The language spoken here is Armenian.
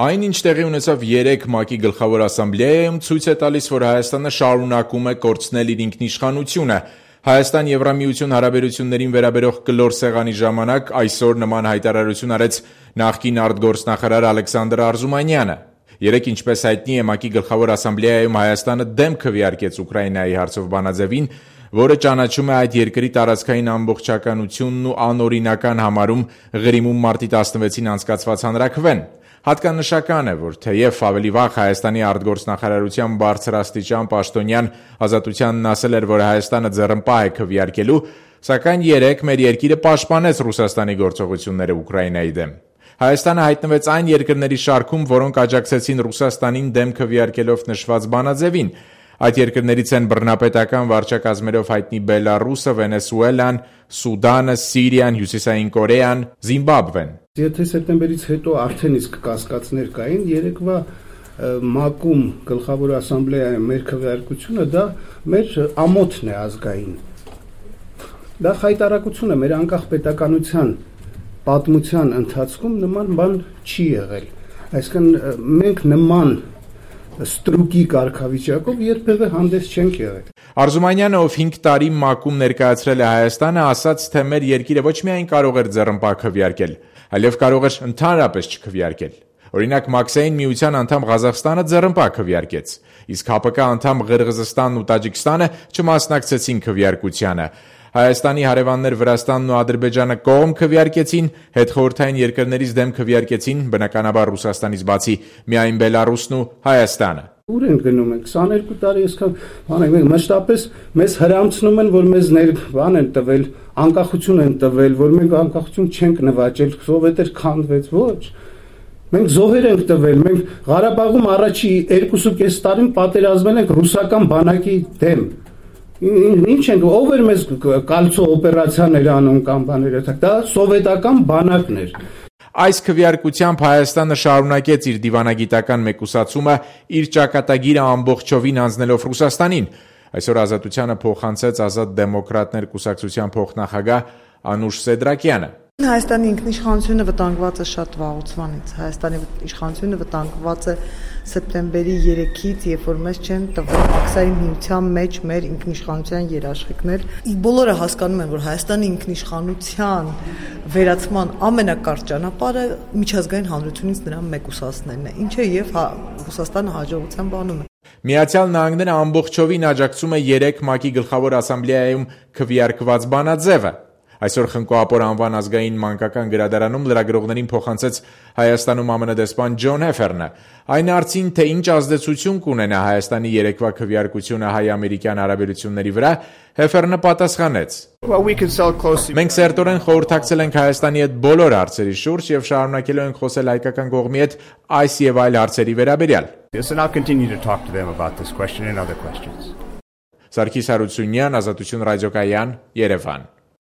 Այն, ինչ տեղի ունեցավ 3 ՄԱԿ-ի գլխավոր ասամբլեայում, ցույց է տալիս, որ Հայաստանը շարունակում է կորցնել իր ինքնիշխանությունը։ Հայաստան-Եվրամիություն հարաբերություններին վերաբերող կլոր սեղանի ժամանակ այսօր նման հայտարարություն արեց նախկին արտգործնախարար Ալեքսանդր Արզումանյանը։ Երեկ, ինչպես հայտնի է, ՄԱԿ-ի գլխավոր ասամբլեայում Հայաստանը դեմ քվեարկեց Ուկրաինայի հարցով բանաձևին, որը ճանաչում է այդ երկրի տարածքային ամբողջականությունն ու անօրինական համարում Ղրիմում մարտի 16-ին անցկացված հանրաքվեն։ Հատկանշական է, որ թեև ավելի վաղ Հայաստանի արտգործնախարարության բարձրաստիճան պաշտոնյան Ազատությանն ասել էր, որ Հայաստանը ձեռնպահ է քվեարկելու, սակայն երեկ մեր երկիրը պաշտպանեց Ռուսաստանի գործողությունները Ուկրաինայի դեմ։ Հայաստանը հայտնվեց այն երկրների շարքում, որոնք աջակցեցին Ռուսաստանին դեմ քվեարկելով նշված բանաձևին։ Այդ երկրներից են բռնապետական վարչակազմերով հայտնի Բելառուսը, Վենեսուելան, Սուդանը, Սիրիան, Հյուսիսային Կորեան, Զիմբաբվեն։ Եթե սեպտեմբերից հետո արդեն իսկ կասկածներ կային, երեկվա ՄԱԿ-ում գլխավոր ասամբլեայում մեր քվեարկությունը դա մեր ամոթն է ազգային։ Դա խայտարակություն է, մեր անկախ պետականության պատմության ընթացքում նման բան չի եղել։ Այսինքն մենք նման ստրուկի կարգավիճակով երբևէ հանդես չենք եղել։ Արզումանյանը, ով 5 տարի ՄԱԿ-ում ներկայացրել է Հայաստանը, ասաց, թե մեր երկիրը ոչ միայն կարող էր ձեռնպահ քվեարկել, այլև կարող էր ընդհանրապես չքվեարկել։ Օրինակ, Մաքսային միության անդամ Ղազախստանը ձեռնպահ քվեարկեց, իսկ ՀԱՊԿ անդամ Ղրղզստանն ու Տաջիկստանը չմասնակցեցին քվեարկությանը։ Հայաստանի հարևաններ Վրաստանն ու Ադրբեջանը կողմ քվեարկեցին, հետխորհրդային երկրներից դեմ քվեարկեցին, բնականաբար Ռուսաստանից բացի միայն Բելառուսն ու Հայաստանը։ Ուր են գնում ենք 22 տարի այսքան բան ենք, մշտապես մեզ հրամցնում են, որ մեզ բան են տվել, անկախություն են տվել, որ մենք անկախություն չենք նվաճել, սովետեր քանդվեց, ոչ։ Մենք զոհեր ենք տվել, մենք Ղարաբաղում առաջի 2.5 տարին պատերազմել ենք ռուսական բանակի դեմ։ Ինչ ենք, ով էր մեզ կալցո օպերացիաներ անում կամ բաներ, դա սովետական բանակն էր։ Այս քվեարկությամբ Հայաստանը շարունակեց իր դիվանագիտական մեկուսացումը, իր ճակատագիրը ամբողջովին անձնելով Ռուսաստանին։ Այսօր Ազատությանը փոխանցեց Ազատ դեմոկրատներ կուսակցության փոխնախագահ Անուշ Սեդրակյանը։ Հայաստանի ինքնիշխանությունը վտանգված է շատ վաղուց։ Հայաստանի իշխանությունը վտանգված է սեպտեմբերի 3-ից, երբ որ մեզ չեն տվել Մաքսային միության մեջ մեր ինքնիշխանության երաշխիքներ։ Բոլորը հասկանում են, որ Հայաստանի ինքնիշխանության վերացման ամենակարճ ճանապարհը միջազգային հանրությունից նրան մեկուսացնելն է, ինչը եւ Ռուսաստանը հաջողությամբ անում է։ Միացյալ Նահանգները ամբողջովին աջակցում է 3 ՄԱԿ-ի գլխավոր ասամբլեայում քվեարկված բանաձևը։ Այսօր Խնկո-Ապոր անվան ազգային մանկական գրադարանում լրագրողներին փոխանցեց Հայաստանում ԱՄՆ դեսպան Ջոն Հեֆերնը։ Այն հարցին, թե ինչ ազդեցություն կունենա Հայաստանի երեկվա քվեարկությունը հայ-ամերիկյան հարաբերությունների վրա, Հեֆերնը պատասխանեց. Մենք սերտորեն խորհրդակցել ենք Հայաստանի հետ բոլոր հարցերի շուրջ եւ շարունակելու ենք խոսել հայկական կողմի հետ այս եւ այլ հարցերի վերաբերյալ։ Սարգիս Հարությունյան, Ազատություն ռադիոկայան, Երևան։